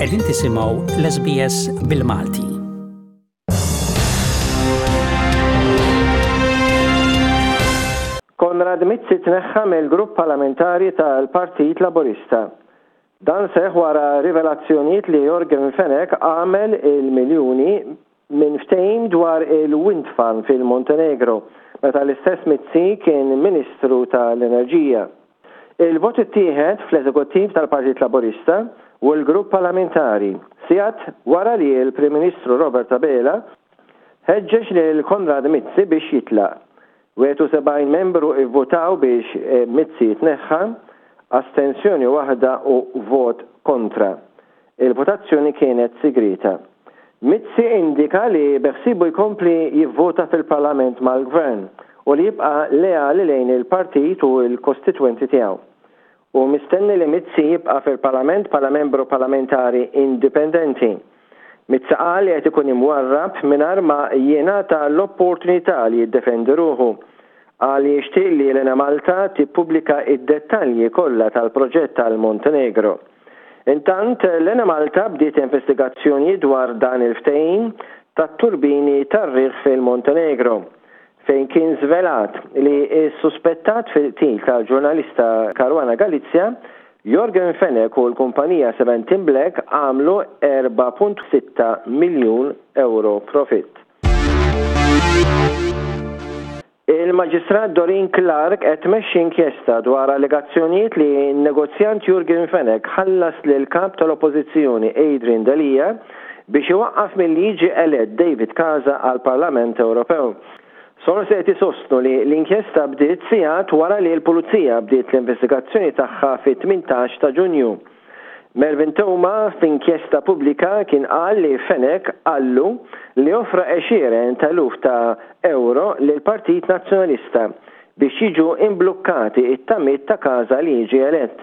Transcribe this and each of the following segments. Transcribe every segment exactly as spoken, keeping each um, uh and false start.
Qegħdin tisimgħu l-S B S bil-Malti. Konrad Mizzi tneħħa mill-grupp parlamentari tal-Partit Laburista. Dan seħ wara rivelazzjonijiet li Yorgen Fenech għamel il-miljuni minn ftehim dwar il-wind farm fil-Montenegro, meta l-istess Mizzi kien Ministru tal-Enerġija. Il-vot ittieħed fl-eżekuttiv tal-Partit Laburista u l-grupp parlamentari, sigħat wara li l-Prim Ministru Robert Abela ħeġġeġ lil Konrad Mizzi biex jitlaq. Wieħed u sebgħin membru ivvotaw biex eh, Mizzi jitneħħa, astensjoni waħda u vot kontra. Il-votazzjoni kienet sigrita. Mizzi indika li beħsibu jkompli jivvota fil-Parlament mal-Gvern u li jibqa' leali lejn il-partit u l-kostitwenti tiegħu. U mistenni li Mizzi jibqa' fil-Parlament bħala membru parlamentari indipendenti. Mizzi qal li qed ikun imwarrab mingħajr ma jingħata l-opportunità li jiddefendi ruħu. Qal li jixtieq li l-Enemalta tippubblika id-dettalji kollha tal-proġett tal-Montenegro. Intant, l-Enemalta bdiet investigazzjoni dwar dan il-ftehim tat-turbini tar-riħ fil-Montenegro, fejn kien żvelat li s-suspettat fil-qtil tal-ġurnalista Caruana Galizia, Yorgen Fenech, u l-kumpanija Seventeen Black għamlu erbgħa punt sitta miljun euro profit. Il-Maġistrat Doreen Clarke qed tmexxi inkjesta dwar allegazzjonijiet li n-negozjant Yorgen Fenech ħallas lil kap tal-Oppożizzjoni Adrian Delia biex iwaqqaf milli jiġi elett David Casa għal Parlament Ewropew. Sorsi qed isostnu li l-inkjesta bdiet sigħat wara li l-Pulizija bdiet l-investigazzjoni tagħha fit-tmintax ta' Ġunju. Melvin Theuma f'inkjesta pubblika kien qal li Fenech qallu li offra għexieren ta' eluf ta' euro lil Partit Nazzjonalista biex jiġu imblukkati it-tamiet ta' Casa li jiġi elett.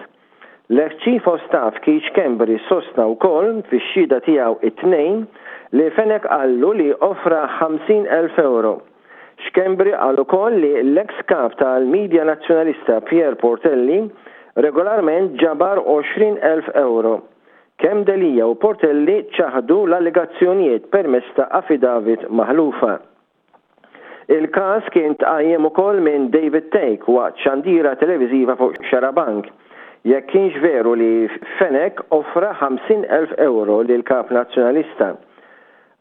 L-ex Chief of Staff Keith Schembri sostna wkoll fix-xhieda tiegħu it-Tnejn li Fenech qallu li offra ħamsin elf euro. Schembri qal ukoll li l-ex kap tal-Media Nazzjonalista Pierre Portelli regolarment ġabar għoxrin elf euro. Kemm Delia u Portelli ċaħdu l-allegazzjonijiet permezz ta' affidavit maħlufa. Il-każ kien tqajjem ukoll minn David Thake waqt xandira televiżiva fuq Xarabank, jekk kienx veru li Fenech offra ħamsin elf euro lil kap nazzjonalista.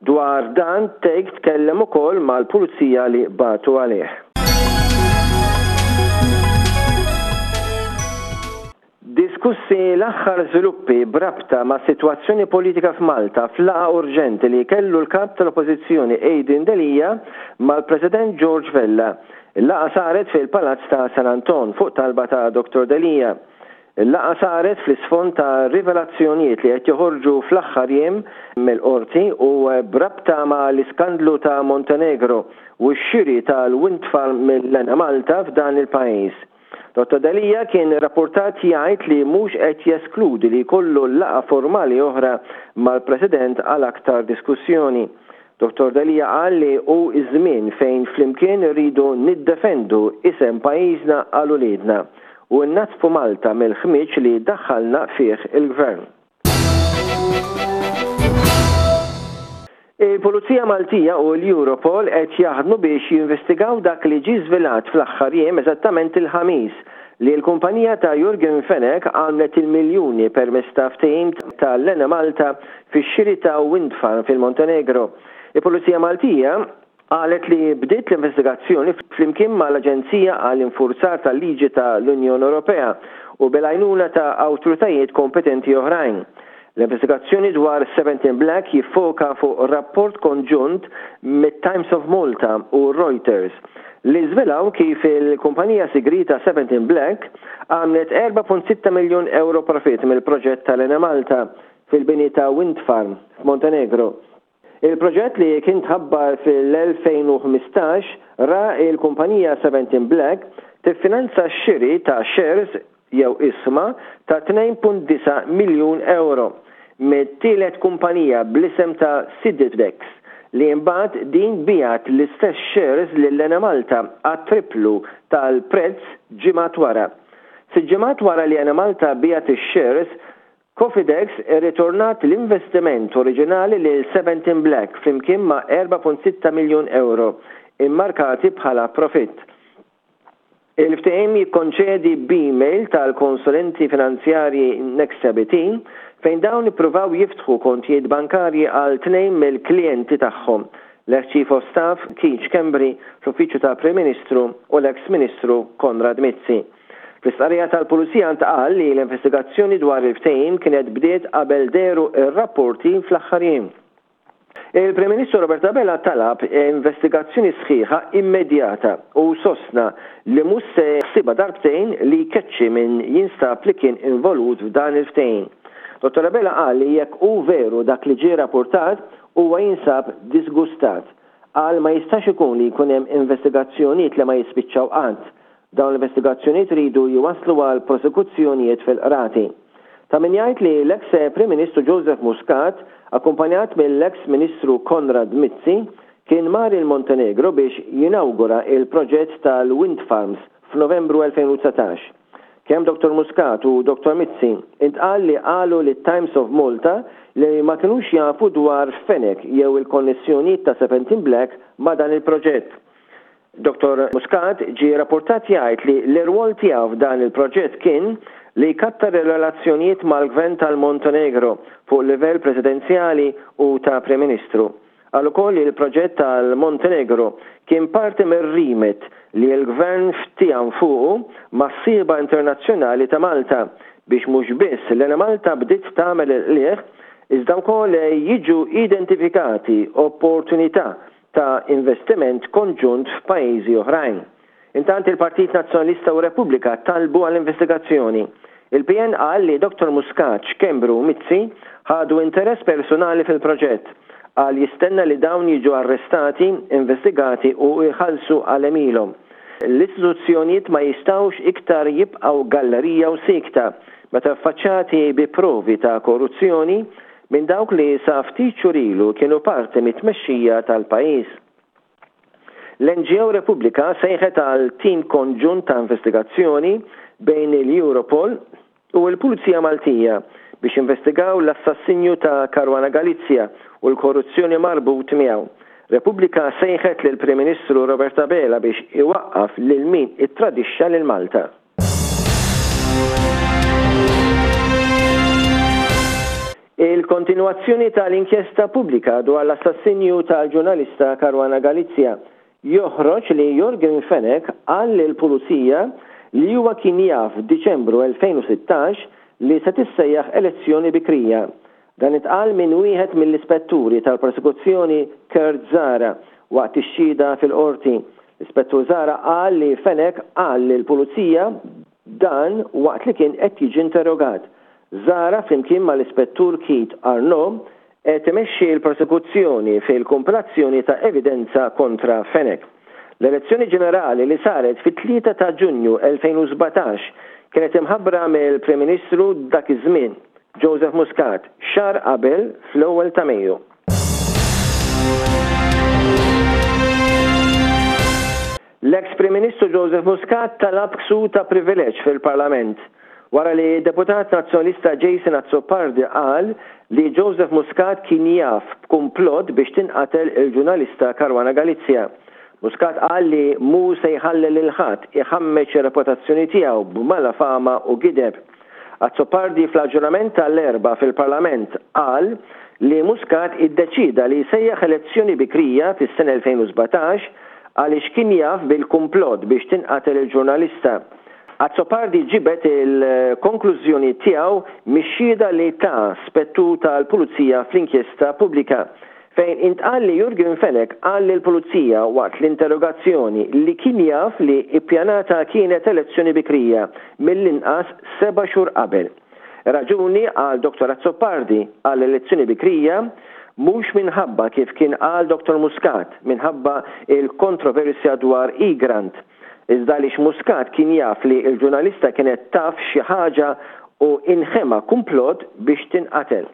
Dwar dan Thake tkellem ukoll mal-pulizija li bagħtu għalih. Diskussi l-aħħar żviluppi b'rabta ma' sitwazzjoni politika f'Malta f'laqgħa urġenti li kellu l-kap tal-Oppożizzjoni Adrian Delia mal-President George Vella. Il-laqgħa saret fil-Palazz ta' San Anton fuq talba ta' Doktor Delia. Il-laqgħa saret fl-isfond ta' rivelazzjonijiet li qed joħorġu fl-aħħar jiem mill-qorti u b'rabta ma' l-iskandlu ta' Montenegro u x-xiri tal-wind farm mill-Enemalta f'dan il-pajjiż. Dottor Delia kien rapportat jgħid li mhux qed jeskludi li jkollu laqgħa formali oħra mal-President għal aktar diskussjoni. Dottor Delia qal li hu iż-żmien fejn flimkien irridu niddefendu isem pajjiżna għal uliedna u nnaddfu Malta mill-ħmiġ li daħħalna fih il-gvern. Il-Pulizija Maltija u l-Europol qed jaħdmu biex jinvestigaw dak li ġie żvelat fl-aħħar jiem, eżattament il-Ħamis, li l-kumpanija ta' Yorgen Fenech għamlet il-miljuni permezz ta' ftehim tal-Enemalta fix-xiri ta' wind farm fil-Montenegro. Il-Pulizija Maltija qalet li bdiet l-investigazzjoni flimkien mal-Aġenzija għall-Infurzar tal-Liġi tal-Unjoni Ewropea u bil-għajnuna ta' awtoritajiet kompetenti oħrajn. L-investigazzjoni dwar Seventeen Black jiffoka fuq rapport konġunt mit-Times of Malta u Reuters li żvelaw kif il-kumpanija sigrita Seventeen Black għamlet erbgħa punt sitta miljon euro profit mill-proġett tal-Enemalta fil-bini ta' wind farm f'Montenegro. Il-proġett li kien tħabbar fil-elfejn u ħmistax ra il-kumpanija Seventeen Black tiffinanza x-xiri ta' shares jew ishma ta' tnejn punt disgħa miljun euro mit-tielet kumpanija bl-isem ta' Siditex, li mbagħad din biegħet l-istess shares lil Enemalta għat-triplu tal-prezz ġimgħat wara. Sitt ġimgħat wara li Enemalta biegħet ix-shares, Cofidex irritornat l-investiment oriġinali lil Seventeen Black flimkien ma' erbgħa punt sitta miljun euro immarkati bħala profitt. Il-ftehim jikkonċedi b'email tal-konsulenti finanzjarji Nexia B T fejn dawn ippruvaw jiftħu kontijiet bankarji għal tnejn mill-klijenti tagħhom, l-ex Chief of Staff Keith Schembri fl-Uffiċċju tal-Prim Ministru u l-ex Ministru Konrad Mizzi. Fl-istqarrija tal-Pulizija ntqal li l-investigazzjoni dwar il-ftehim kienet bdiet qabel dehru ir-rapporti fl-aħħar jiem. Il-Prim Ministru Robert Abela talab investigazzjoni sħiħa immedjata u sostna li mhux se jaħsibha darbtejn li jkeċċi min jinstab li kien involut f'dan il-ftehim. Dottor Abela qal li jekk hu veru dak li ġie rapportat, huwa jinsab disgustat. Qal ma jistax ikun li jkun hemm investigazzjonijiet li ma jispiċċaw qatt. Dawn l-investigazzjonijiet iridu jwaslu għal prosekuzzjonijiet fil-qrati. Ta' min jgħid li l-ex Prim Ministru Joseph Muscat, akkumpanjat mill-ex Ministru Konrad Mizzi, kien mar il-Montenegro biex jinawgura il-proġett tal-Wind Farms f'Novembru elfejn u dsatax. Kemm Dottor Muscat u Dottor Mizzi intqal li qalu li Times of Malta li ma kinux jafu dwar Fenech jew il-konnessjonijiet ta' Seventeen Black ma' dan il-proġett. Dottor Muscat ġie rapportat jgħid li l-irwol tiegħu f'dan il-proġett kien li kattar ir-relazzjonijiet mal-gvern tal-Montenegro fuq livell presidenzjali u ta' Prim Ministru. Qal ukoll li l-proġett tal-Montenegro kien parti mir-remit li l-gvern ftiehem fuqu mas-sieħba internazzjonali ta' Malta biex mhux biss l-Enemalta bdiet tagħmel il-qligħ, iżda wkoll jiġu identifikati opportunità ta' investiment konġunt f'pajjiżi oħrajn. Intant, il-Partit Nazzjonalista u Repubblika talbu għall-investigazzjoni. Il-P N qal li Dottor Muscat, Schembri u Mizzi ħadu interess personali fil-proġett. Qal jistenna li dawn jiġu arrestati, investigati u jħallsu għal għemilhom. L-istituzzjonijiet ma jistawx iktar jibqgħu gallerija u siekta meta affaċċati bi provi ta' korruzzjoni minn dawk li sa ftit xhur ilu kienu parti mit-tmexxija tal-pajjiż. L-N G O Repubblika sejħet għal tim konġunt ta' investigazzjoni bejn il-Europol u l-Pulizija Maltija biex investigaw l-assassinju ta' Caruana Galizia u l-korruzzjoni marbut miegħu. Repubblika sejħet lil Prim Ministru Robert Abela biex iwaqqaf lil min ittradixxa lil Malta. Il-kontinuazzjoni tal-inkjesta pubblika dwar l-assassinju tal-ġurnalista Caruana Galizia joħroġ li Yorgen Fenech qal lill-pulizija li huwa kien jaf f'Diċembru elfejn u sittax li se tissejjaħ elezzjoni bikrija. Dan intqal minn wieħed mill-ispetturi tal-prosekuzzjoni, Kurt Zahra, waqt ix-xhieda fil-qorti. L-Ispettur Zahra qal li Fenech qal lill-pulizija dan waqt li kien qed jiġi interrogat. Zahra, flimkien mal-Ispettur Keith Arnaud, qed imexxi l-prosekuzzjoni fil-kompilazzjoni ta' evidenza kontra Fenech. L-elezzjoni ġenerali li saret fit-tlieta ta' Ġunju elfejn u sbatax kienet imħabbra mill-Prim Ministru dak iż-żmien, Joseph Muscat, xahar qabel fl-ewwel ta' Mejju. L-ex Prim Ministru Joseph Muscat talab ksur ta' privileġġ fil-Parlament wara li deputat nazzjonalista Jason Azzopardi qal li Joseph Muscat kien jaf b'kumplott biex tinqatel il-ġurnalista Caruana Galizia. Muscat qal li mhu se jħalli lil ħadd iħammeġ ir-reputazzjoni tiegħu b'malafama u gideb. Azzopardi fl-aġġornament tal-Erbgħa fil-Parlament qal li Muscat iddeċida li jsejjaħ elezzjoni bikrija fis-sena elfejn u sbatax għaliex kien jaf bil-kumplott biex tinqatel il-ġurnalista. Azzopardi ġibet il-konklużjoni tiegħu mix-xhieda li ta spettur tal-Pulizija fl-inkjesta pubblika, fejn intqal li Yorgen Fenech qal lill-Pulizija waqt l-interrogazzjoni li kien jaf li ippjanata kienet elezzjoni bikrija mill-inqas seba' xhur qabel. Raġuni għal Dottor Azzopardi għal elezzjoni bikrija mhux minħabba, kif kien qal Dottor Muscat, minħabba il-kontroversja dwar Egrant, iżda għaliex Muscat kien jaf li il-ġurnalista kienet taf xi ħaġa u inħema kumplott biex tinqatel.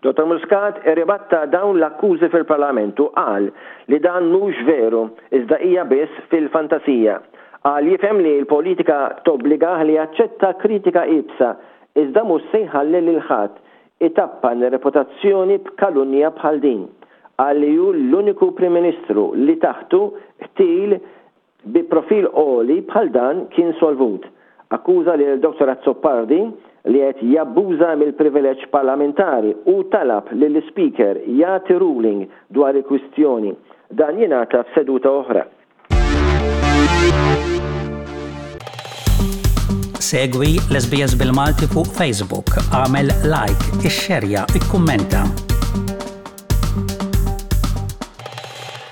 Dottor Muscat irribatta dawn l-akkużi fil-Parlament u qal li dan mhux veru, iżda hija biss fil-fantasija. Qal jifhem li l-politika tobbligah li jaċċetta kritika iebsa, Iżda mhux se jħalli lil ħadd itappan reputazzjoni b'kalunja bħal din. Qal li hu l-uniku Prim Ministru li taħtu qtil bi profil għoli bħal dan kien solvut. Akkuża lil Dottor Azzopardi li qed jabbuża mill-privileġġ parlamentari u talab lill-Ispeaker jagħti ruling dwar il-kwistjoni. Dan jingħata f'seduta oħra. Segwi l-S B S bil-Malti fuq Facebook, għamel like, ixxerja, ikkummenta.